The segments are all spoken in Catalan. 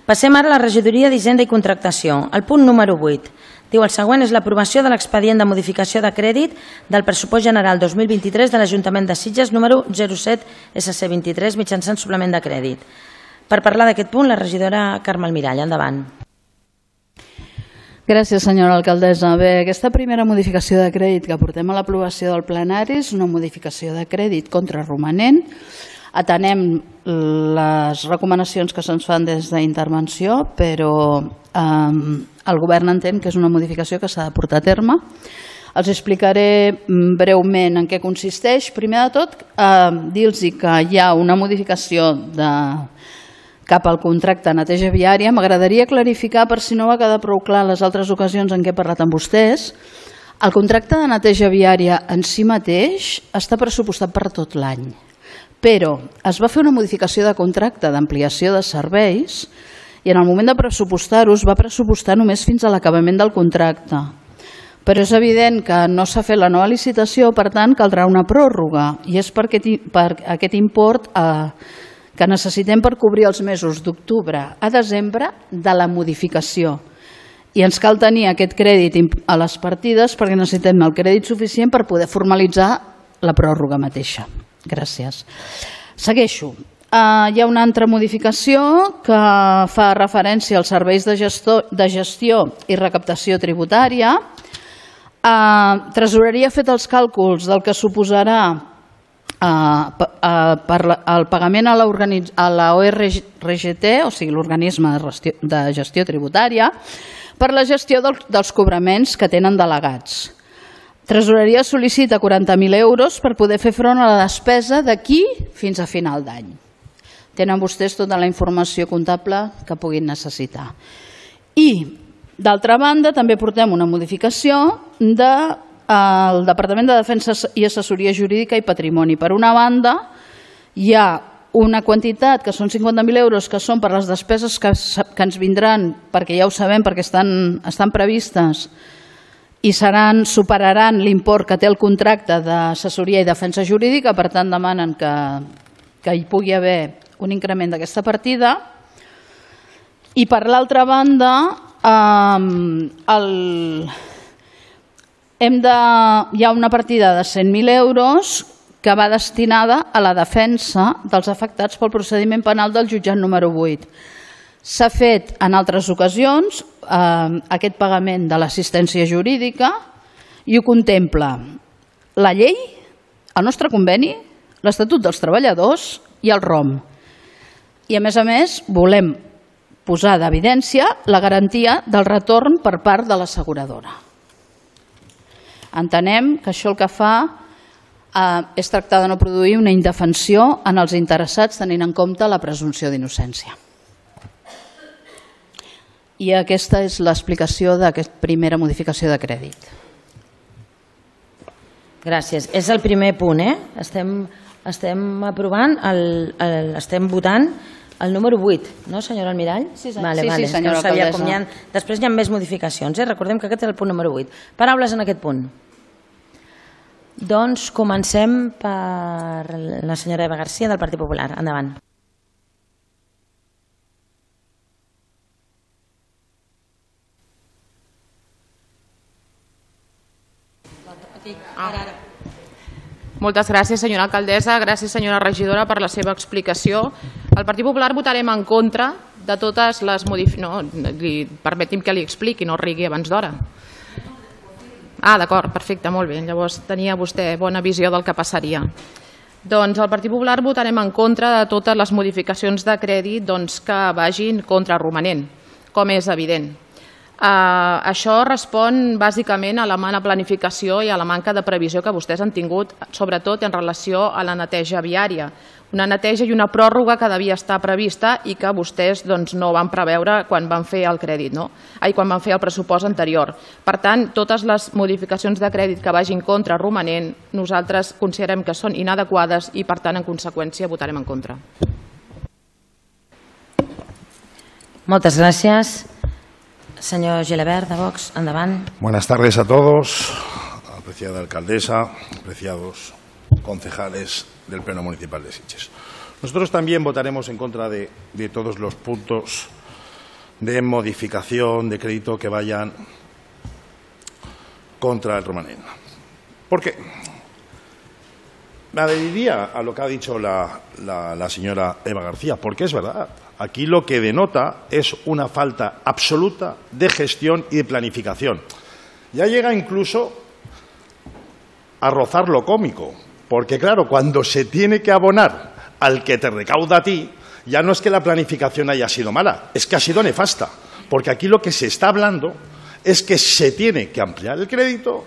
Passem ara a la regidoria d'Hisenda i Contractació. El punt número 8. Diu el següent és l'aprovació de l'expedient de modificació de crèdit del pressupost general 2023 de l'Ajuntament de Sitges número 07 SC23 mitjançant suplement de crèdit. Per parlar d'aquest punt, la regidora Carme Almirall. Endavant. Gràcies, senyora alcaldessa. Bé, aquesta primera modificació de crèdit que portem a l'aprovació del plenari és una modificació de crèdit contraromanent. Atenem les recomanacions que se'ns fan des d'intervenció, però el govern entén que és una modificació que s'ha de portar a terme. Els explicaré breument en què consisteix. Primer de tot, dir-los que hi ha una modificació cap al contracte de neteja viària. M'agradaria clarificar, per si no va quedar prou clar les altres ocasions en què he parlat amb vostès, el contracte de neteja viària en si mateix està pressupostat per tot l'any. Però es va fer una modificació de contracte d'ampliació de serveis i en el moment de pressupostar-ho es va pressupostar només fins a l'acabament del contracte. Però és evident que no s'ha fet la nova licitació, per tant caldrà una pròrroga i és per aquest import que necessitem per cobrir els mesos d'octubre a desembre de la modificació. I ens cal tenir aquest crèdit a les partides perquè necessitem el crèdit suficient per poder formalitzar la pròrroga mateixa. Gràcies. Segueixo. Hi ha una altra modificació que fa referència als serveis de gestió i recaptació tributària. Tresoreria ha fet els càlculs del que suposarà el pagament a la ORGT, o sigui, l'organisme de gestió tributària, per la gestió dels cobraments que tenen delegats. Tresoreria sol·licita 40.000 euros per poder fer front a la despesa d'aquí fins a final d'any. Tenen vostès tota la informació comptable que puguin necessitar. I, d'altra banda, també portem una modificació del Departament de Defensa i Assessoria Jurídica i Patrimoni. Per una banda, hi ha una quantitat que són 50.000 euros que són per les despeses que ens vindran, perquè ja ho sabem, perquè estan previstes i superaran l'import que té el contracte d'assessoria i defensa jurídica, per tant demanen que hi pugui haver un increment d'aquesta partida. I per l'altra banda, hi ha una partida de 100.000 euros que va destinada a la defensa dels afectats pel procediment penal del jutjat número 8. S'ha fet en altres ocasions aquest pagament de l'assistència jurídica i ho contempla la llei, el nostre conveni, l'Estatut dels Treballadors i el ROM. I a més, volem posar d'evidència la garantia del retorn per part de l'asseguradora. Entenem que això el que fa és tractar de no produir una indefensió en els interessats tenint en compte la presumpció d'innocència. I aquesta és l'explicació d'aquesta primera modificació de crèdit. Gràcies. És el primer punt, Estem votant el número 8, no, senyora Almirall? Sí, senyora alcaldessa. Després hi ha més modificacions. Recordem que aquest és el punt número 8. Paraules en aquest punt. Doncs comencem per la senyora Eva García del Partit Popular. Endavant. Moltes gràcies, senyora alcaldessa. Gràcies, senyora regidora, per la seva explicació. El Partit Popular votarem en contra de totes les modificacions. Permeti'm que li expliqui, no rigui abans d'hora. D'acord, perfecte, molt bé. Llavors tenia vostè bona visió del que passaria. Doncs el Partit Popular votarem en contra de totes les modificacions de crèdit que vagin contra el romanent, com és evident. Això respon bàsicament a la mala planificació i a la manca de previsió que vostès han tingut, sobretot en relació a la neteja viària. Una neteja i una pròrroga que devia estar prevista i que vostès no van preveure quan van fer el crèdit, quan van fer el pressupost anterior. Per tant, totes les modificacions de crèdit que vagin contra el romanent nosaltres considerem que són inadequades i, per tant, en conseqüència, votarem en contra. Moltes gràcies. Señor Gelabert, de Vox, endavant. Buenas tardes a todos, apreciada alcaldesa, apreciados concejales del Pleno Municipal de Sitges. Nosotros también votaremos en contra de todos los puntos de modificación de crédito que vayan contra el Romanent. ¿Por qué? Me adheriría a lo que ha dicho la señora Eva García, porque es verdad. Aquí lo que denota es una falta absoluta de gestión y de planificación. Ya llega incluso a rozar lo cómico, porque claro, cuando se tiene que abonar al que te recauda a ti, ya no es que la planificación haya sido mala, es que ha sido nefasta, porque aquí lo que se está hablando es que se tiene que ampliar el crédito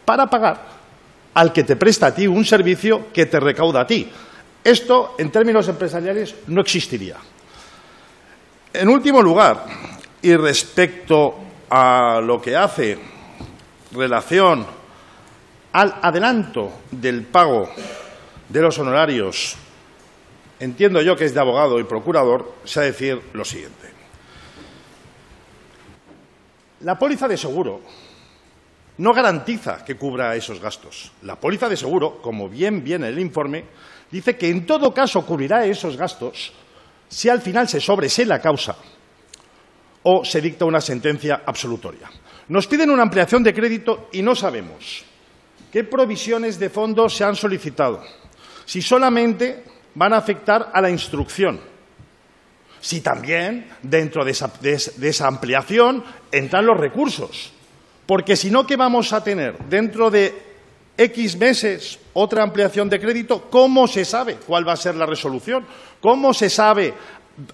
para pagar al que te presta a ti un servicio que te recauda a ti. Esto, en términos empresariales, no existiría. En último lugar, y respecto a lo que hace relación al adelanto del pago de los honorarios, entiendo yo que es de abogado y procurador, se ha de decir lo siguiente. La póliza de seguro no garantiza que cubra esos gastos. La póliza de seguro, como bien viene el informe, dice que en todo caso cubrirá esos gastos si al final se sobresee la causa o se dicta una sentencia absolutoria. Nos piden una ampliación de crédito y no sabemos qué provisiones de fondos se han solicitado, si solamente van a afectar a la instrucción, si también dentro de esa ampliación entran los recursos. Porque si no, ¿qué vamos a tener? Dentro de X meses otra ampliación de crédito. ¿Cómo se sabe cuál va a ser la resolución? ¿Cómo se sabe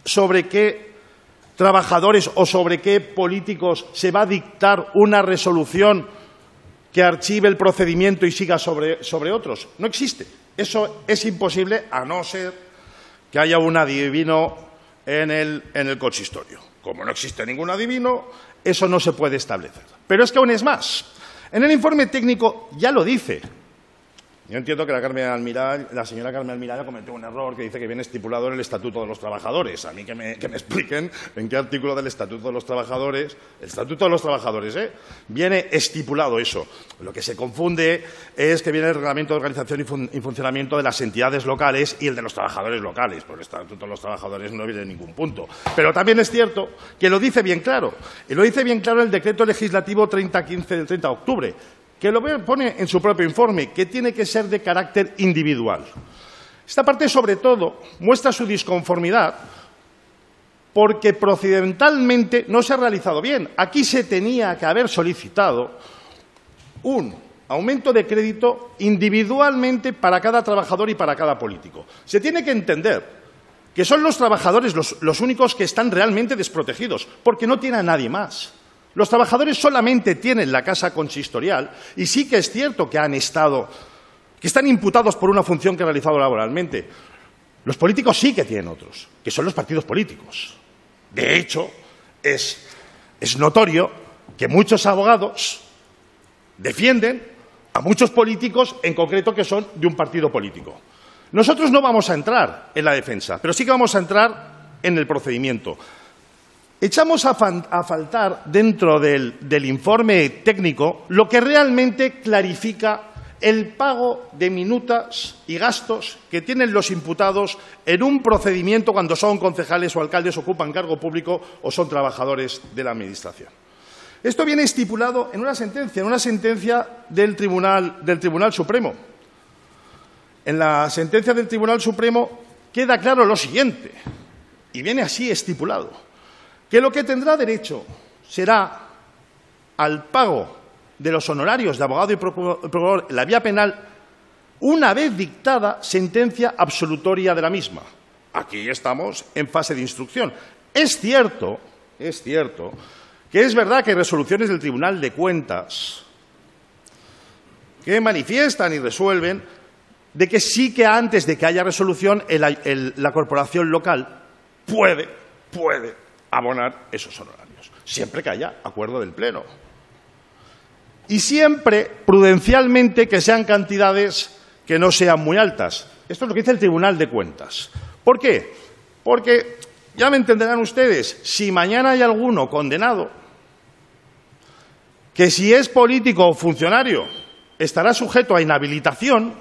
sobre qué trabajadores o sobre qué políticos se va a dictar una resolución que archive el procedimiento y siga sobre otros? No existe. Eso es imposible a no ser que haya un adivino en el consistorio. Como no existe ningún adivino, eso no se puede establecer. Pero es que aún es más. En el informe técnico ya lo dice. Yo entiendo que la señora Carmen Almirall cometió un error que dice que viene estipulado en el Estatuto de los Trabajadores. A mí que me expliquen en qué artículo del Estatuto de los Trabajadores, viene estipulado eso. Lo que se confunde es que viene el Reglamento de Organización y Funcionamiento de las entidades locales y el de los trabajadores locales. Por el Estatuto de los Trabajadores no viene en ningún punto. Pero también es cierto que lo dice bien claro. Y lo dice bien claro el Decreto Legislativo 3015 del 30 de octubre. Que lo pone en su propio informe, que tiene que ser de carácter individual. Esta parte, sobre todo, muestra su disconformidad porque procedimentalmente no se ha realizado bien. Aquí se tenía que haber solicitado un aumento de crédito individualmente para cada trabajador y para cada político. Se tiene que entender que son los trabajadores los únicos que están realmente desprotegidos, porque no tiene a nadie más. Los trabajadores solamente tienen la casa consistorial y sí que es cierto que están imputados por una función que han realizado laboralmente. Los políticos sí que tienen otros, que son los partidos políticos. De hecho, es notorio que muchos abogados defienden a muchos políticos, en concreto que son de un partido político. Nosotros no vamos a entrar en la defensa, pero sí que vamos a entrar en el procedimiento. Echamos a faltar dentro del informe técnico lo que realmente clarifica el pago de minutas y gastos que tienen los imputados en un procedimiento cuando son concejales o alcaldes, ocupan cargo público o son trabajadores de la Administración. Esto viene estipulado en una sentencia del Tribunal Supremo. En la sentencia del Tribunal Supremo queda claro lo siguiente, y viene así estipulado, que lo que tendrá derecho será al pago de los honorarios de abogado y procurador en la vía penal una vez dictada sentencia absolutoria de la misma. Aquí estamos en fase de instrucción. Es cierto que es verdad que hay resoluciones del Tribunal de Cuentas que manifiestan y resuelven de que sí que antes de que haya resolución la corporación local puede abonar esos honorarios, siempre que haya acuerdo del Pleno. Y siempre, prudencialmente, que sean cantidades que no sean muy altas. Esto es lo que dice el Tribunal de Cuentas. ¿Por qué? Porque, ya me entenderán ustedes, si mañana hay alguno condenado, que si es político o funcionario estará sujeto a inhabilitación,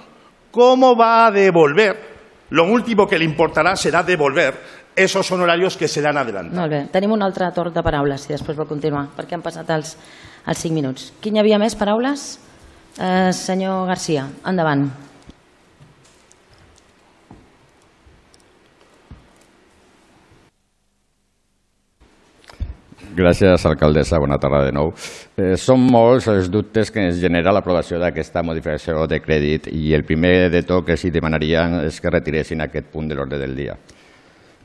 ¿cómo va a devolver? Lo último que le importará será devolver esos honorarios que serán adelantados. Molt bé. Tenim un altre torn de paraules, si després vol continuar, perquè han passat els 5 minuts. Quin hi havia més paraules? Senyor García, endavant. Gràcies, alcaldessa. Bona tarda de nou. Són molts els dubtes que ens genera l'aprovació d'aquesta modificació de crèdit i el primer de tot que s'hi demanaria és que retiressin aquest punt de l'ordre del dia.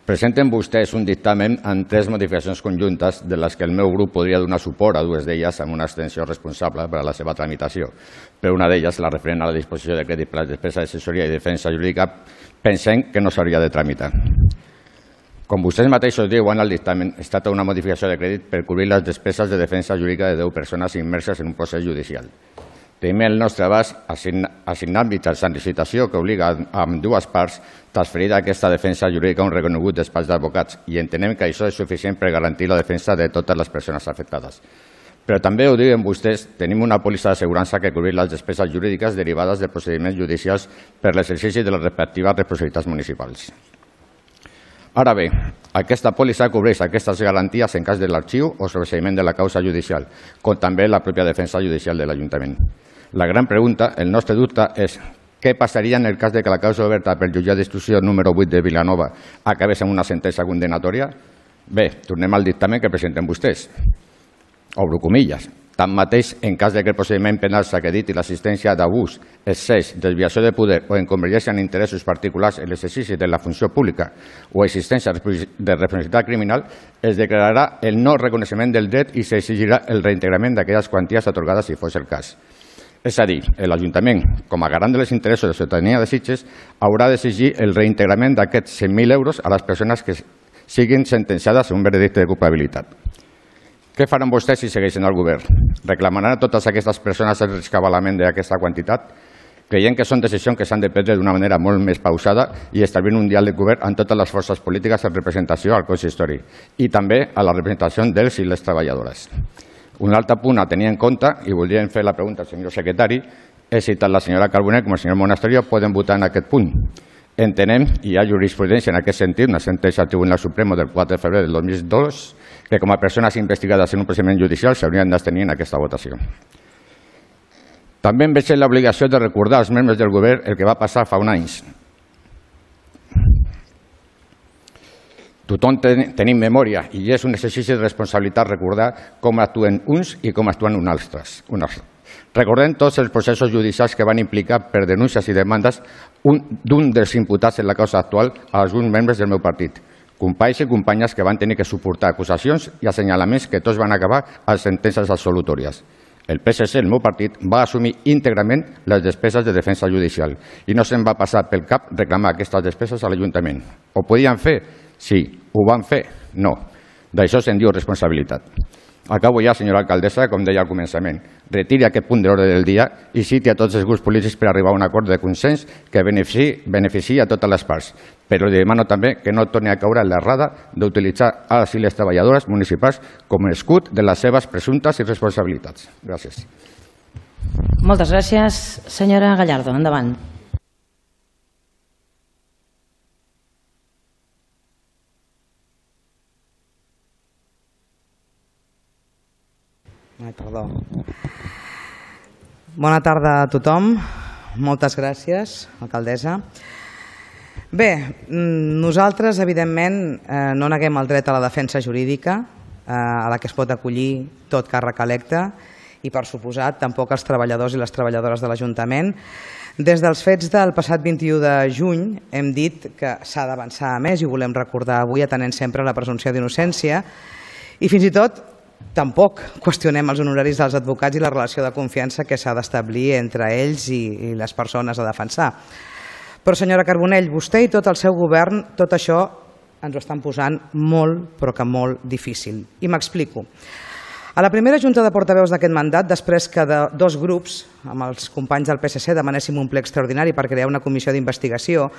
Presenten vostès un dictamen amb 3 modificacions conjuntes de les que el meu grup podria donar suport a 2 d'elles amb una abstenció responsable per a la seva tramitació. Per una d'elles, la referent a la disposició de crèdit per a les despeses d'assessoria i defensa jurídica, pensem que no s'hauria de tramitar. Com vostès mateixos diuen al dictamen, es tracta d'una modificació de crèdit per cobrir les despeses de defensa jurídica de 10 persones immerses en un procés judicial. Tenim el nostre abast assignar mitjançant licitació que obliga a dues parts transferir aquesta defensa jurídica a un reconegut despatx d'advocats i entenem que això és suficient per garantir la defensa de totes les persones afectades. Però també ho diuen vostès, tenim una pòlissa d'assegurança que cobrir les despeses jurídiques derivades de procediments judicials per l'exercici de les respectives responsabilitats municipals. Ara bé, aquesta pòlissa cobreix aquestes garanties en cas de l'arxiu o sobreseïment de la causa judicial, com també la pròpia defensa judicial de l'Ajuntament. La gran pregunta, el nostre dubte, és què passaria en el cas de que la causa oberta pel jutjat d'instrucció número 8 de Vilanova acabés amb una sentència condenatòria? Bé, tornem al dictamen que presenten vostès. Obro comilles. Tanmateix, en cas que el procediment penal s'acrediti l'assistència d'abús, excés, desviació de poder o inconveniència en interessos particulars en l'exercici de la funció pública o existència de responsabilitat criminal, es declararà el no reconeixement del dret i s'exigirà el reintegrament d'aquelles quanties atorgades si fos el cas. És a dir, l'Ajuntament, com a garant dels interessos de la ciutadania de Sitges, haurà d'exigir el reintegrament d'aquests 100.000 euros a les persones que siguin sentenciades en un veredicte de culpabilitat. Què faran vostès si segueixen al govern? Reclamaran a totes aquestes persones el rescabalament d'aquesta quantitat? Creiem que són decisions que s'han de prendre d'una manera molt més pausada i establir un diàleg de govern amb totes les forces polítiques en representació al consistori i també a la representació dels i les treballadores. Un altre punt a tenir en compte, i voldríem fer la pregunta al senyor secretari, és si tant la senyora Carbonell com el senyor Monasterio poden votar en aquest punt. Entenem, i hi ha jurisprudència en aquest sentit, una sentència del Tribunal Supremo del 4 de febrer del 2002, que com a persones investigades en un procediment judicial s'haurien d'abstenir en aquesta votació. També em veig l'obligació de recordar als membres del govern el que va passar fa uns anys. Tothom tenim memòria i és un exercici de responsabilitat recordar com actuen uns i com actuen uns altres. Recordem tots els processos judicials que van implicar per denúncies i demandes d'un dels imputats en la causa actual a alguns membres del meu partit. Companys i companyes que van tenir que suportar acusacions i assenyalaments que tots van acabar a sentències absolutòries. El PSC, el meu partit, va assumir íntegrament les despeses de defensa judicial i no se'n va passar pel cap reclamar aquestes despeses a l'Ajuntament. Ho podien fer? Sí. Ho van fer? No. D'això se'n diu responsabilitat. Acabo ja, senyora alcaldessa, com deia al començament. Retiri aquest punt de l'ordre del dia i citi a tots els grups polítics per arribar a un acord de consens que beneficiï a totes les parts. Però li demano també que no torni a caure en l'errada d'utilitzar els i les treballadores municipals com a escut de les seves presumptes irresponsabilitats. Gràcies. Moltes gràcies. Senyora Gallardo, endavant. Perdó. Bona tarda a tothom. Moltes gràcies, alcaldessa. Bé, nosaltres, evidentment, no neguem el dret a la defensa jurídica, a la que es pot acollir tot càrrec electe, i, per suposat, tampoc els treballadors i les treballadores de l'Ajuntament. Des dels fets del passat 21 de juny hem dit que s'ha d'avançar a més i ho volem recordar avui atenent sempre la presumpció d'innocència i fins i tot tampoc qüestionem els honoraris dels advocats i la relació de confiança que s'ha d'establir entre ells i les persones a defensar. Però, senyora Carbonell, vostè i tot el seu govern, tot això ens ho estan posant molt, però que molt difícil. I m'explico. A la primera junta de portaveus d'aquest mandat, després que de dos grups, amb els companys del PSC, demanéssim un ple extraordinari per crear una comissió d'investigació,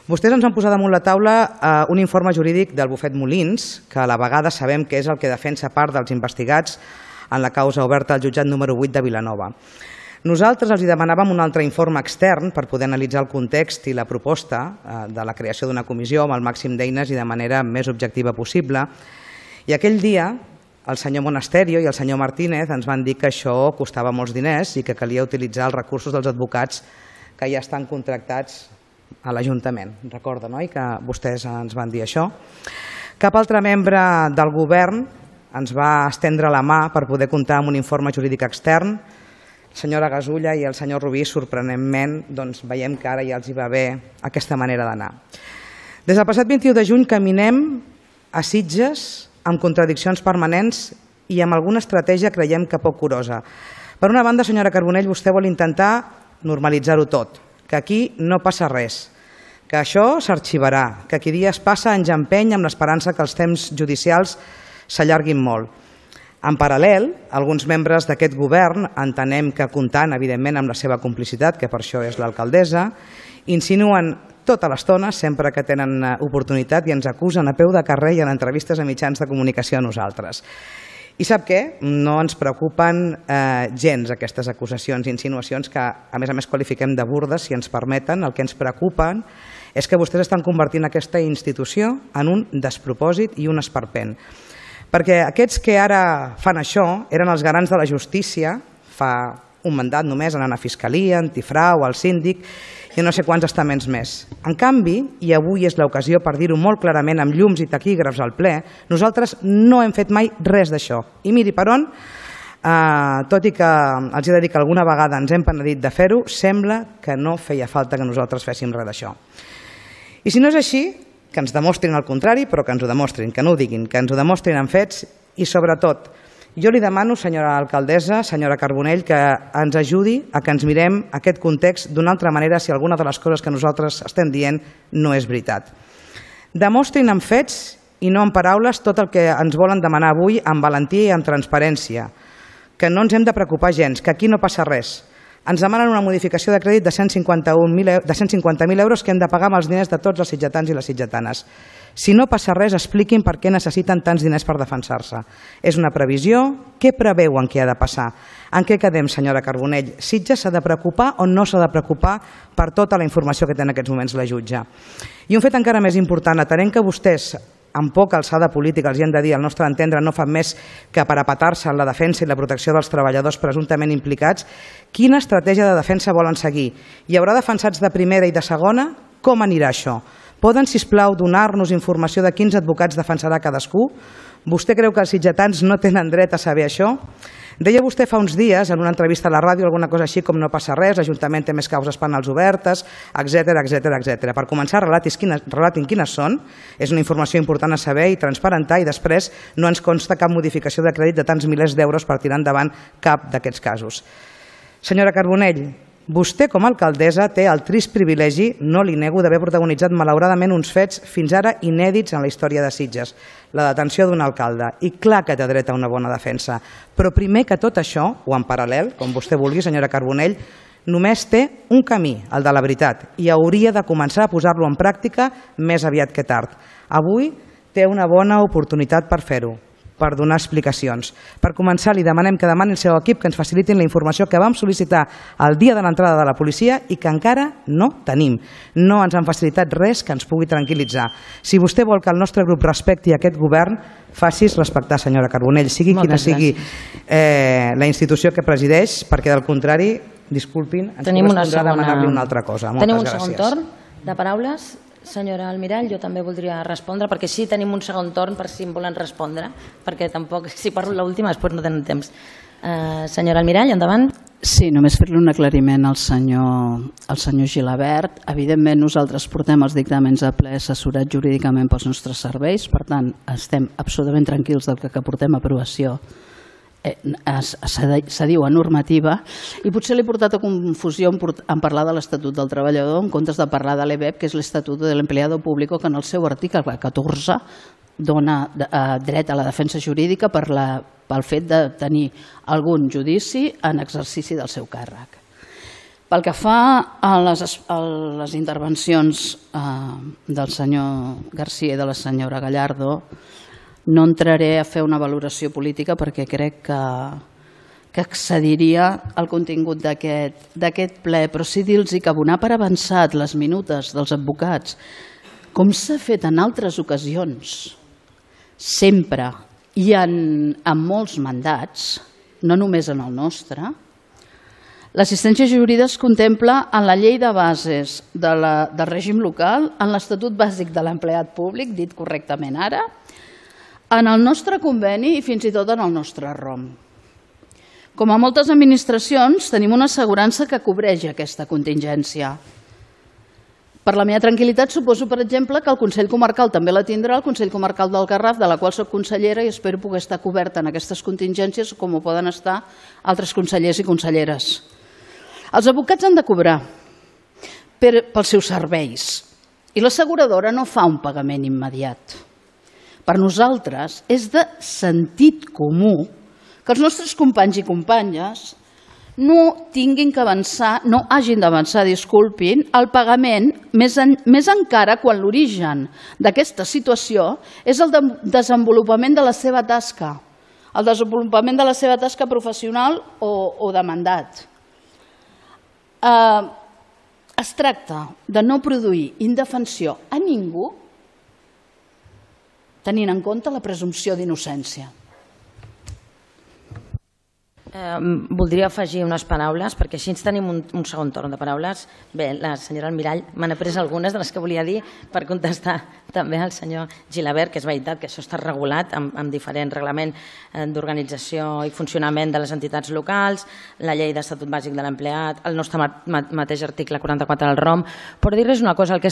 vostès ens han posat damunt la taula un informe jurídic del bufet Molins, que a la vegada sabem que és el que defensa part dels investigats en la causa oberta al jutjat número 8 de Vilanova. Nosaltres els demanàvem un altre informe extern per poder analitzar el context i la proposta de la creació d'una comissió amb el màxim d'eines i de manera més objectiva possible. I aquell dia el senyor Monasterio i el senyor Martínez ens van dir que això costava molts diners i que calia utilitzar els recursos dels advocats que ja estan contractats a l'Ajuntament. Recorda, no?, que vostès ens van dir això. Cap altre membre del govern ens va estendre la mà per poder comptar amb un informe jurídic extern. La senyora Gasulla i el senyor Rubí, sorprenentment, veiem que ara ja els hi va bé aquesta manera d'anar. Des del passat 21 de juny caminem a Sitges amb contradiccions permanents i amb alguna estratègia creiem que poc curosa. Per una banda, senyora Carbonell, vostè vol intentar normalitzar-ho tot, que aquí no passa res, que això s'arxivarà, que qui dies passa anys empeny amb l'esperança que els temps judicials s'allarguin molt. En paral·lel, alguns membres d'aquest govern, entenem que comptant, evidentment, amb la seva complicitat, que per això és l'alcaldessa, insinuen tota l'estona, sempre que tenen oportunitat, i ens acusen a peu de carrer i en entrevistes a mitjans de comunicació a nosaltres. I sap què? No ens preocupen gens aquestes acusacions i insinuacions que, a més, qualifiquem de burdes, si ens permeten. El que ens preocupen és que vostès estan convertint aquesta institució en un despropòsit i un esperpent. Perquè aquests que ara fan això eren els garants de la justícia fa un mandat només, anant a Fiscalia, Antifrau, al síndic i no sé quants estaments més. En canvi, i avui és l'ocasió per dir-ho molt clarament amb llums i taquígrafs al ple, nosaltres no hem fet mai res d'això. I miri per on, tot i que els he de dir que alguna vegada ens hem penedit de fer-ho, sembla que no feia falta que nosaltres féssim res d'això. I si no és així, que ens demostrin el contrari, però que ens ho demostrin, que no ho diguin, que ens ho demostrin amb fets i, sobretot, jo li demano, senyora alcaldessa, senyora Carbonell, que ens ajudi a que ens mirem aquest context d'una altra manera si alguna de les coses que nosaltres estem dient no és veritat. Demostrin amb fets i no amb paraules tot el que ens volen demanar avui amb valentia i amb transparència, que no ens hem de preocupar gens, que aquí no passa res. Ens demanen una modificació de crèdit de 150.000 euros que hem de pagar amb els diners de tots els sitgetans i les sitgetanes. Si no passa res, expliquin per què necessiten tants diners per defensar-se. És una previsió? Què preveuen que ha de passar? En què quedem, senyora Carbonell? Sitges s'ha de preocupar o no s'ha de preocupar per tota la informació que té en aquests moments la jutge? I un fet encara més important, atenent que vostès amb poca alçada política, els hi hem de dir, al nostre entendre, no fan més que parapetar-se en la defensa i la protecció dels treballadors presumptament implicats, quina estratègia de defensa volen seguir? Hi haurà defensats de primera i de segona? Com anirà això? Poden, sisplau, donar-nos informació de quins advocats defensarà cadascú? Vostè creu que els sitgetans no tenen dret a saber això? Deia vostè fa uns dies, en una entrevista a la ràdio, alguna cosa així com no passa res, l'Ajuntament té més causes penals obertes, etc. Per començar, relatin quines són, és una informació important a saber i transparentar, i després no ens consta cap modificació de crèdit de tants milers d'euros per tirar endavant cap d'aquests casos. Senyora Carbonell, vostè, com a alcaldessa, té el trist privilegi, no li nego, d'haver protagonitzat malauradament uns fets fins ara inèdits en la història de Sitges, la detenció d'un alcalde, i clar que té dret a una bona defensa. Però primer que tot això, o en paral·lel, com vostè vulgui, senyora Carbonell, només té un camí, el de la veritat, i hauria de començar a posar-lo en pràctica més aviat que tard. Avui té una bona oportunitat per fer-ho, per donar explicacions. Per començar, li demanem que demani al seu equip que ens facilitin la informació que vam sol·licitar el dia de l'entrada de la policia i que encara no tenim. No ens han facilitat res que ens pugui tranquil·litzar. Si vostè vol que el nostre grup respecti aquest govern, faci's respectar, senyora Carbonell, sigui quina sigui la institució que presideix, perquè del contrari, disculpin, ens correspondrà demanar-li una altra cosa. Tenim un segon torn de paraules. Senyora Almirall, jo també voldria respondre, perquè sí, tenim un segon torn per si em volen respondre, perquè tampoc, si parlo l'última, després no tenen temps. Senyora Almirall, endavant. Sí, només fer-li un aclariment al senyor Gilabert. Evidentment, nosaltres portem els dictàmens a ple assessorats jurídicament pels nostres serveis, per tant, estem absolutament tranquils del que portem a aprovació se diu a normativa, i potser l'he portat a confusió en parlar de l'Estatut del Treballador en comptes de parlar de l'EBEP, que és l'Estatut de l'Empleado Público, que en el seu article 14 dona dret a la defensa jurídica pel fet de tenir algun judici en exercici del seu càrrec. Pel que fa a les intervencions del senyor García i de la senyora Gallardo, no entraré a fer una valoració política perquè crec que que excediria el contingut d'aquest ple, però sí dir-los que abonar per avançat les minutes dels advocats, com s'ha fet en altres ocasions, sempre i en molts mandats, no només en el nostre, l'assistència jurídica es contempla en la llei de bases del règim local, en l'Estatut Bàsic de l'Empleat Públic, dit correctament ara, en el nostre conveni i fins i tot en el nostre ROM. Com a moltes administracions, tenim una assegurança que cobreix aquesta contingència. Per la meva tranquil·litat, suposo, per exemple, que el Consell Comarcal també la tindrà, el Consell Comarcal del Garraf, de la qual soc consellera i espero poder estar coberta en aquestes contingències com ho poden estar altres consellers i conselleres. Els advocats han de cobrar pels seus serveis i l'asseguradora no fa un pagament immediat. Per nosaltres és de sentit comú que els nostres companys i companyes no hagin d'avançar, disculpin, el pagament, més encara quan l'origen d'aquesta situació és el desenvolupament de la seva tasca, el desenvolupament de la seva tasca professional o de mandat. Es tracta de no produir indefensió a ningú tenint en compte la presumpció d'innocència. Voldria afegir unes paraules, perquè així ens tenim un segon torn de paraules. Bé, la senyora Almirall m'han après algunes de les que volia dir per contestar també al senyor Gilabert, que és veritat que això està regulat amb diferent reglament d'organització i funcionament de les entitats locals, la llei d'Estatut Bàsic de l'Empleat, el nostre mateix article 44 del ROM. Però dir-los una cosa, el que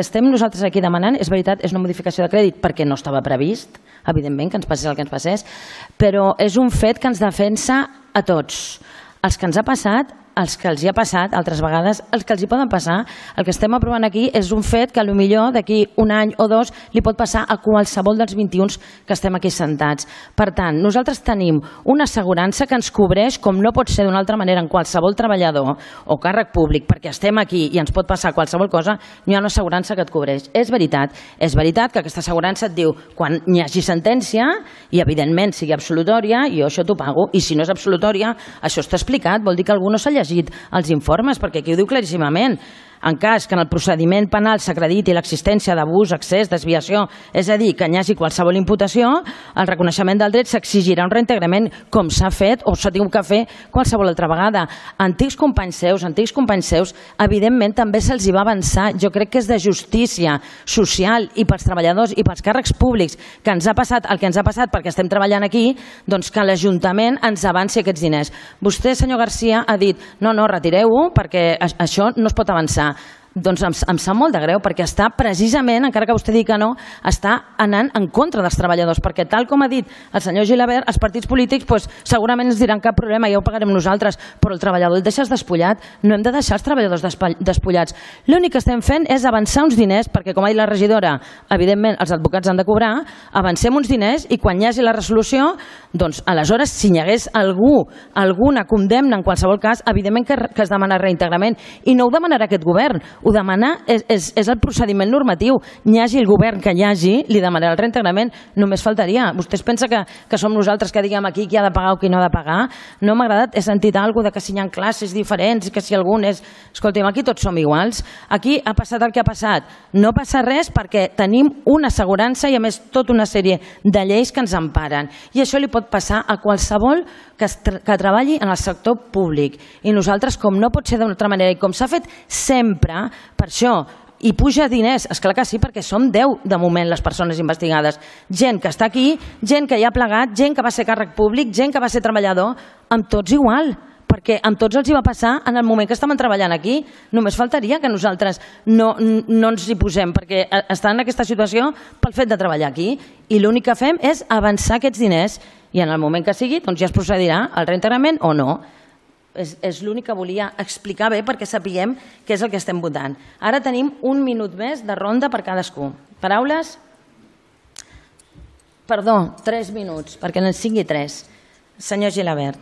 estem nosaltres aquí demanant, és veritat, és una modificació de crèdit perquè no estava previst, evidentment, que ens passés el que ens passés, però és un fet que ens defensa a tots. Els que ens ha passat, els que els hi ha passat altres vegades, els que els hi poden passar, el que estem aprovant aquí és un fet que potser d'aquí un any o dos li pot passar a qualsevol dels 21 que estem aquí sentats. Per tant, nosaltres tenim una assegurança que ens cobreix, com no pot ser d'una altra manera, en qualsevol treballador o càrrec públic, perquè estem aquí i ens pot passar qualsevol cosa, hi ha una assegurança que et cobreix. És veritat que aquesta assegurança et diu quan hi hagi sentència i evidentment sigui absolutòria, jo això t'ho pago, i si no és absolutòria, això està explicat, vol dir que algú no s'ha llegit els informes, perquè aquí ho diu claríssimament. En cas que en el procediment penal s'acrediti l'existència d'abús, excés, desviació, és a dir, que hi hagi qualsevol imputació, el reconeixement del dret s'exigirà un reintegrament com s'ha fet o s'ha tingut que fer qualsevol altra vegada. Antics companys seus, evidentment també se'ls hi va avançar. Jo crec que és de justícia social i pels treballadors i pels càrrecs públics que ens ha passat el que ens ha passat perquè estem treballant aquí, doncs que l'Ajuntament ens avanci aquests diners. Vostè, senyor Garcia, ha dit no, retireu-ho perquè això no es pot avançar. Doncs em sap molt de greu perquè està precisament, encara que vostè digui que no, està anant en contra dels treballadors, perquè tal com ha dit el senyor Gilabert, els partits polítics segurament ens diran cap problema, ja ho pagarem nosaltres, però el treballador el deixes despullat. No hem de deixar els treballadors despullats. L'únic que estem fent és avançar uns diners, perquè com ha dit la regidora, evidentment els advocats han de cobrar, avancem uns diners i quan hi hagi la resolució, doncs aleshores si hi hagués alguna condemna en qualsevol cas, evidentment que es demana reintegrament, i no ho demanarà aquest govern, ho demanar és el procediment normatiu. Hi hagi el govern que hi hagi, li demanarà el reintegrament, només faltaria. Vostès pensa que som nosaltres que diguem aquí qui ha de pagar o qui no ha de pagar? No m'ha agradat, he sentit alguna cosa de que si hi ha classes diferents, que si algun és... Escolta'm, aquí tots som iguals. Aquí ha passat el que ha passat. No passa res perquè tenim una assegurança i a més tota una sèrie de lleis que ens emparen. I això li pot passar a qualsevol que treballi en el sector públic. I nosaltres, com no pot ser d'una altra manera i com s'ha fet sempre, per això, i puja diners, esclar que sí, perquè som 10 de moment les persones investigades. Gent que està aquí, gent que hi ha plegat, gent que va ser càrrec públic, gent que va ser treballador, amb tots igual, perquè amb tots els hi va passar en el moment que estàvem treballant aquí. Només faltaria que nosaltres no ens hi posem, perquè estan en aquesta situació pel fet de treballar aquí. I l'únic que fem és avançar aquests diners i en el moment que sigui doncs ja es procedirà al reintegrament o no. És l'únic que volia explicar bé perquè sapiguem què és el que estem votant. Ara tenim un minut més de ronda per cadascú. Paraules? Perdó, 3 minuts, perquè no en sigui 3. Senyor Gilabert.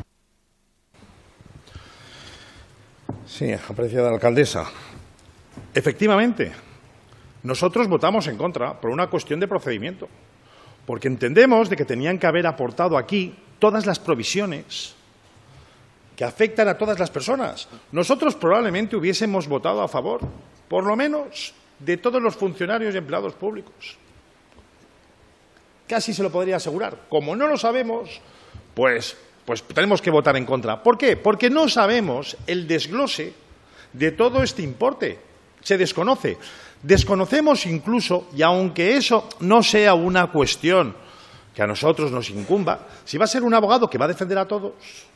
Sí, apreciada alcaldesa. Efectivamente, nosotros votamos en contra por una cuestión de procedimiento, porque entendemos de que tenían que haber aportado aquí todas las provisiones que afectan a todas las personas. Nosotros probablemente hubiésemos votado a favor, por lo menos, de todos los funcionarios y empleados públicos. Casi se lo podría asegurar. Como no lo sabemos, pues tenemos que votar en contra. ¿Por qué? Porque no sabemos el desglose de todo este importe. Se desconoce. Desconocemos incluso, y aunque eso no sea una cuestión que a nosotros nos incumba, si va a ser un abogado que va a defender a todos,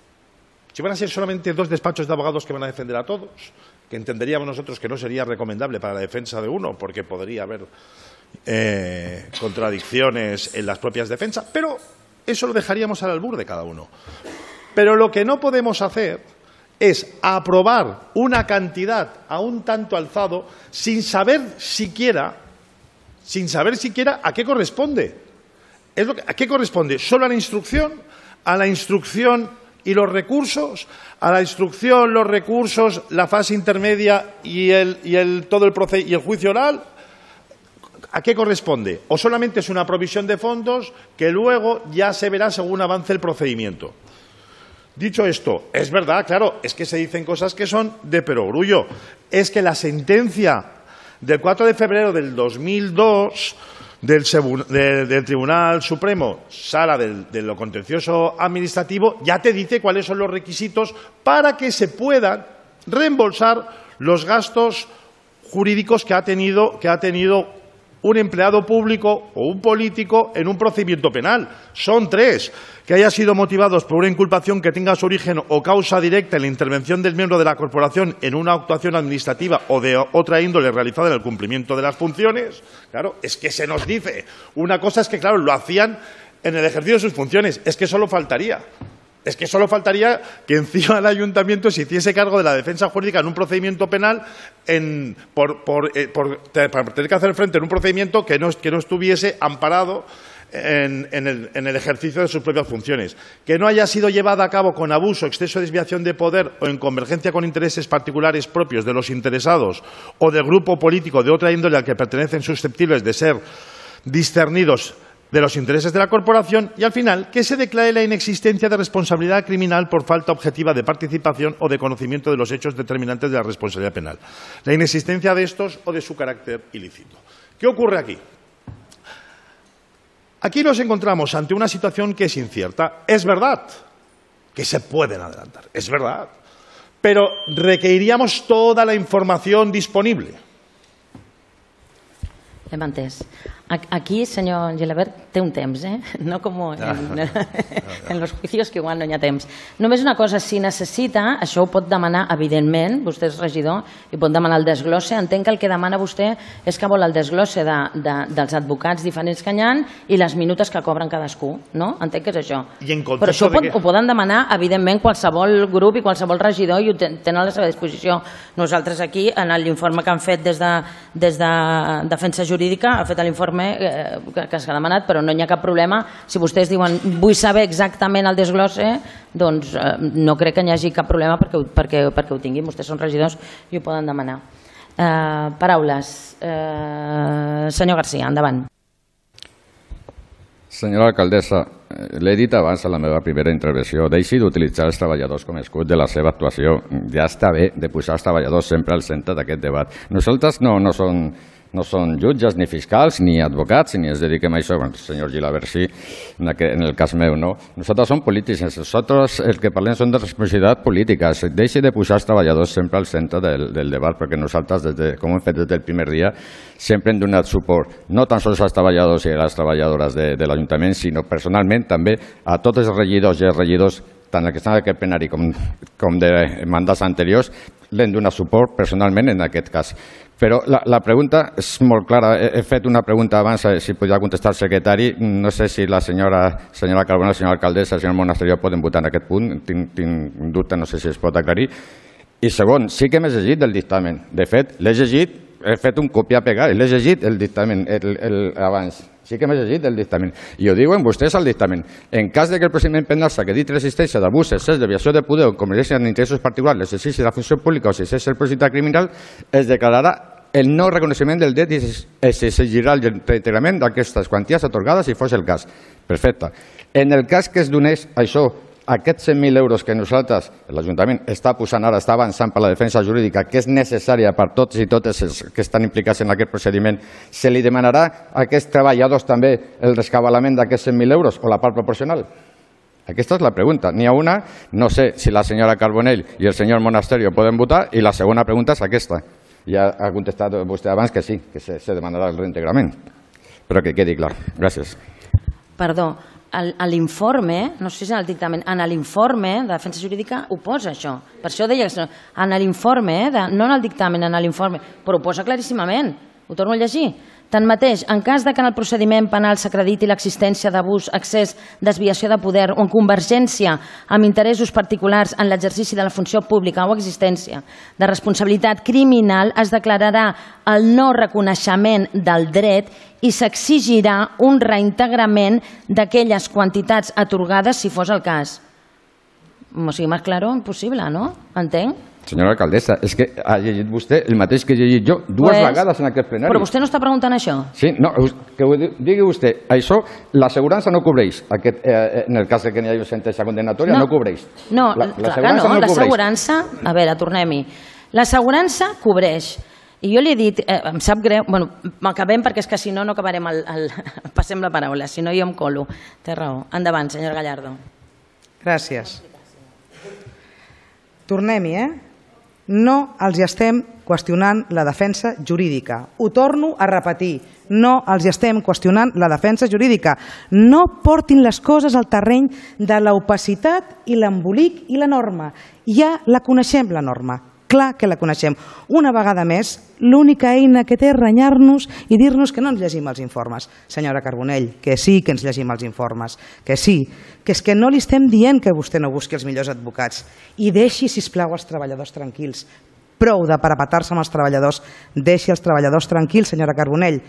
si van a ser solamente 2 despachos de abogados que van a defender a todos, que entenderíamos nosotros que no sería recomendable para la defensa de uno, porque podría haber contradicciones en las propias defensas, pero eso lo dejaríamos al albur de cada uno. Pero lo que no podemos hacer es aprobar una cantidad a un tanto alzado sin saber siquiera a qué corresponde. ¿A qué corresponde? ¿Solo a la instrucción? ¿A la instrucción y los recursos? ¿A la instrucción, los recursos, la fase intermedia y el juicio oral? ¿A qué corresponde? ¿O solamente es una provisión de fondos que luego ya se verá según avance el procedimiento? Dicho esto, es verdad, claro, es que se dicen cosas que son de perogrullo. Es que la sentencia del 4 de febrero del 2002 del Tribunal Supremo, Sala de lo Contencioso Administrativo, ya te dice cuáles son los requisitos para que se puedan reembolsar los gastos jurídicos que ha tenido un empleado público o un político en un procedimiento penal. Son 3. Que haya sido motivados por una inculpación que tenga su origen o causa directa en la intervención del miembro de la corporación en una actuación administrativa o de otra índole realizada en el cumplimiento de las funciones. Claro, es que se nos dice. Una cosa es que, claro, lo hacían en el ejercicio de sus funciones. Es que solo faltaría. Es que solo faltaría que encima el ayuntamiento se hiciese cargo de la defensa jurídica en un procedimiento penal para tener que hacer frente en un procedimiento que no estuviese amparado en el ejercicio de sus propias funciones. Que no haya sido llevada a cabo con abuso, exceso, desviación de poder o en convergencia con intereses particulares propios de los interesados o del grupo político de otra índole al que pertenecen susceptibles de ser discernidos de los intereses de la corporación, y al final que se declare la inexistencia de responsabilidad criminal por falta objetiva de participación o de conocimiento de los hechos determinantes de la responsabilidad penal. La inexistencia de estos o de su carácter ilícito. ¿Qué ocurre aquí? Aquí nos encontramos ante una situación que es incierta. Es verdad que se pueden adelantar, es verdad, pero requeriríamos toda la información disponible. Hem entès. Aquí, senyor Gilabert, té un temps, no com en los juicios, que igual no hi ha temps. Només una cosa, si necessita, això ho pot demanar, evidentment, vostè és regidor, i pot demanar el desglosse. Entenc que el que demana vostè és que vol el desglosse dels advocats diferents que hi ha i les minutes que cobren cadascú, no? Entenc que és això. Però això ho poden demanar, evidentment, qualsevol grup i qualsevol regidor i ho tenen a la seva disposició. Nosaltres aquí, en l'informe que han fet des de Defensa Jurídica, ha fet l'informe que s'ha demanat, però no hi ha cap problema. Si vostès diuen vull saber exactament el desglosse, doncs no crec que hi hagi cap problema perquè ho tinguin. Vostès són regidors i ho poden demanar. Paraules. Senyor García, endavant. Senyora alcaldessa, l'he dit abans a la meva primera intervenció, deixi d'utilitzar els treballadors com a escut de la seva actuació. Ja està bé de posar els treballadors sempre al centre d'aquest debat. Nosaltres no són jutges, ni fiscals, ni advocats, ni ens dediquem a això. Bueno, el senyor Gilabert sí, en el cas meu no. Nosaltres som polítics, nosaltres el que parlem són de responsabilitat política. Deixi de posar els treballadors sempre al centre del debat, perquè nosaltres, com hem fet des del primer dia, sempre hem donat suport, no tan sols als treballadors i a les treballadores de l'Ajuntament, sinó personalment també a tots els regidors i els regidors, tant el que està en aquest plenari com de mandats anteriors, l'hem donat suport personalment en aquest cas. Però la pregunta és molt clara. He fet una pregunta abans, si podia contestar el secretari. No sé si la senyora Carbona, la senyora alcaldessa, el senyor Monasterio poden votar en aquest punt. Tinc dubte, no sé si es pot aclarir. I segon, sí que m'he llegit del dictamen. De fet, l'he llegit, he fet un copiar-pegar i l'he llegit el dictamen abans. Sí que m'he llegit el dictamen. I ho diuen vostès al dictamen. En cas que el procediment penal s'acrediti l'existència d'abús, excés, desviació de poder o convergència en interessos particulars, l'exercici de la funció pública o s'exerceix el procediment criminal, es declararà el no reconeixement del dret i s'exigirà el reintegrament d'aquestes quanties atorgades si fos el cas. Perfecte. En el cas que es donés això aquests 100.000 euros que nosaltres, l'Ajuntament, està posant ara, està avançant per la defensa jurídica, que és necessària per tots i totes els que estan implicats en aquest procediment, se li demanarà a aquests treballadors també el rescabalament d'aquests 100.000 euros o la part proporcional? Aquesta és la pregunta. N'hi ha una, no sé si la senyora Carbonell i el senyor Monasterio poden votar, i la segona pregunta és aquesta. Ja ha contestat vostè abans que sí, que se demanarà el reintegrament. Però que quedi clar. Gràcies. Perdó, a l'informe, no sé si en el dictamen, en l'informe de defensa jurídica ho posa això. Per això deia que en l'informe, no en el dictamen, en l'informe, però ho posa claríssimament. Ho torno a llegir. Tanmateix, en cas que en el procediment penal s'acrediti l'existència d'abús, excés, desviació de poder o en convergència amb interessos particulars en l'exercici de la funció pública o existència de responsabilitat criminal, es declararà el no reconeixement del dret i s'exigirà un reintegrament d'aquelles quantitats atorgades si fos el cas. O sigui, més clar, impossible, no? Entenc? Senyora alcaldessa, és que ha llegit vostè el mateix que he llegit jo dues vegades en aquest plenari. Però vostè no està preguntant això? Sí, no, que ho digui vostè. Això, l'assegurança no cobreix. En el cas que n'hi hagi sentència condemnatòria, no cobreix. No, clar que no. L'assegurança... A veure, tornem-hi. L'assegurança cobreix. I jo li he dit, em sap greu, bueno, m'acabem perquè és que si no, no acabarem passem la paraula, si no jo em colo. Té raó. Endavant, senyora Gallardo. Gràcies. Tornem-hi, No els estem qüestionant la defensa jurídica. Ho torno a repetir. No els estem qüestionant la defensa jurídica. No portin les coses al terreny de l'opacitat i l'embolic i la norma. Ja la coneixem, la norma. Clar que la coneixem. Una vegada més, l'única eina que té és renyar-nos i dir-nos que no ens llegim els informes. Senyora Carbonell, que sí que ens llegim els informes, que sí, que és que no li estem dient que vostè no busqui els millors advocats i deixi, sisplau, els treballadors tranquils. Prou de parapetar-se amb els treballadors. Deixi els treballadors tranquils, senyora Carbonell.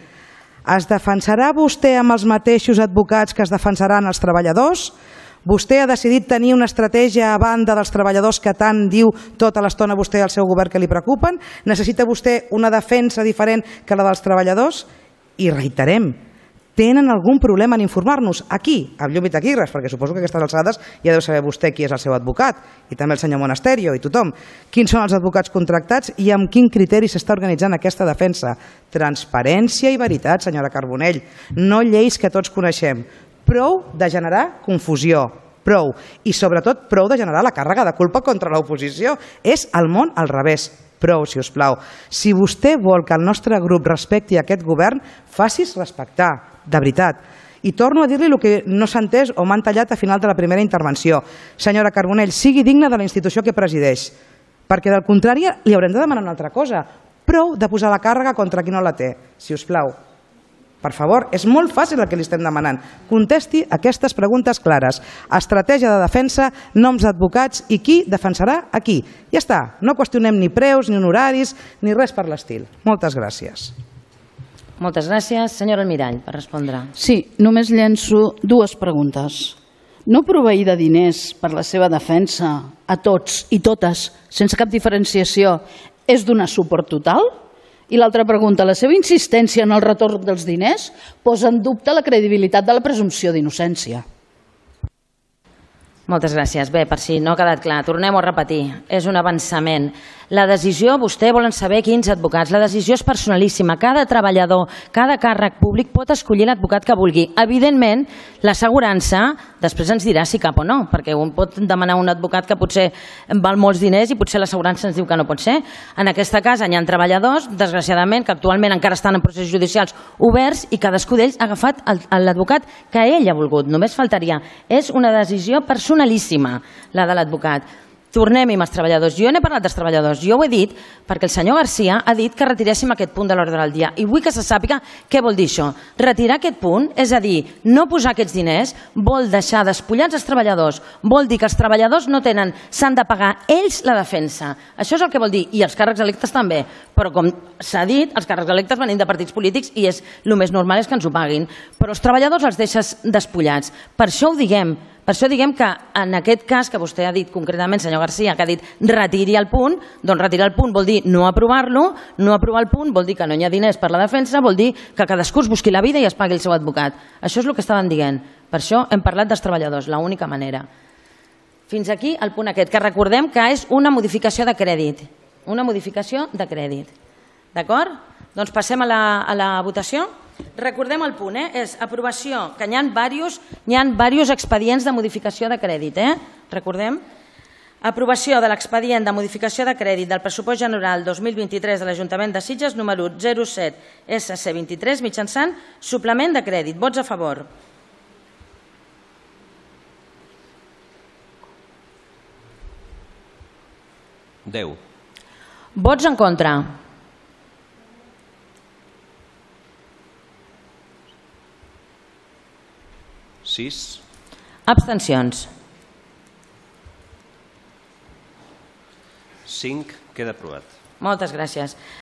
Es defensarà vostè amb els mateixos advocats que es defensaran els treballadors? Vostè ha decidit tenir una estratègia a banda dels treballadors que tant diu tota l'estona vostè al seu govern que li preocupen? Necessita vostè una defensa diferent que la dels treballadors? I reiterem, tenen algun problema en informar-nos? Aquí, amb llum i taquígrafs, perquè suposo que a aquestes alçades ja deu saber vostè qui és el seu advocat, i també el senyor Monasterio i tothom. Quins són els advocats contractats i amb quin criteri s'està organitzant aquesta defensa? Transparència i veritat, senyora Carbonell, no lleis que tots coneixem. Prou de generar confusió, prou. I sobretot prou de generar la càrrega de culpa contra l'oposició. És el món al revés. Prou, si us plau. Si vostè vol que el nostre grup respecti aquest govern, faci's respectar, de veritat. I torno a dir-li el que no s'ha entès o m'han tallat a final de la primera intervenció. Senyora Carbonell, sigui digna de la institució que presideix, perquè del contrari li haurem de demanar una altra cosa. Prou de posar la càrrega contra qui no la té, si us plau. Per favor, és molt fàcil el que li estem demanant. Contesti aquestes preguntes clares. Estratègia de defensa, noms d'advocats i qui defensarà a qui. Ja està, no qüestionem ni preus, ni honoraris, ni res per l'estil. Moltes gràcies. Moltes gràcies. Senyora Almirall, per respondre. Sí, només llenço dues preguntes. No proveir de diners per la seva defensa a tots i totes, sense cap diferenciació, és donar suport total? I l'altra pregunta, la seva insistència en el retorn dels diners posa en dubte la credibilitat de la presumpció d'innocència. Moltes gràcies. Bé, per si no ha quedat clar, tornem-ho a repetir. És un avançament. La decisió, vostè volen saber quins advocats, la decisió és personalíssima. Cada treballador, cada càrrec públic pot escollir l'advocat que vulgui. Evidentment, l'assegurança després ens dirà si cap o no, perquè un pot demanar un advocat que potser val molts diners i potser l'assegurança ens diu que no pot ser. En aquesta casa hi ha treballadors, desgraciadament, que actualment encara estan en processos judicials oberts i cadascú d'ells ha agafat l'advocat que ell ha volgut. Només faltaria. És una decisió personalíssima, la de l'advocat. Tornem-hi amb els treballadors. Jo n'he parlat dels treballadors. Jo ho he dit perquè el senyor Garcia ha dit que retiréssim aquest punt de l'ordre del dia. I vull que se sàpiga què vol dir això. Retirar aquest punt, és a dir, no posar aquests diners, vol deixar despullats els treballadors. Vol dir que els treballadors no tenen, s'han de pagar ells la defensa. Això és el que vol dir. I els càrrecs electes també. Però com s'ha dit, els càrrecs electes venim de partits polítics i el més normal és que ens ho paguin. Però els treballadors els deixes despullats. Per això ho diguem. Per això diguem que en aquest cas que vostè ha dit concretament, senyor Garcia, que ha dit retiri el punt, doncs retirar el punt vol dir no aprovar-lo, no aprovar el punt vol dir que no hi ha diners per la defensa, vol dir que cadascú es busqui la vida i es pagui el seu advocat. Això és el que estaven dient. Per això hem parlat dels treballadors, l'única manera. Fins aquí el punt aquest, que recordem que és una modificació de crèdit. Una modificació de crèdit. D'acord? Doncs passem a la votació. Recordem el punt, és aprovació, que hi ha diversos expedients de modificació de crèdit. Recordem? Aprovació de l'expedient de modificació de crèdit del pressupost general 2023 de l'Ajuntament de Sitges, número 07 SC23, mitjançant suplement de crèdit. Vots a favor. Deu. Vots en contra. Sis. Abstencions. 5. Queda aprovat. Moltes gràcies.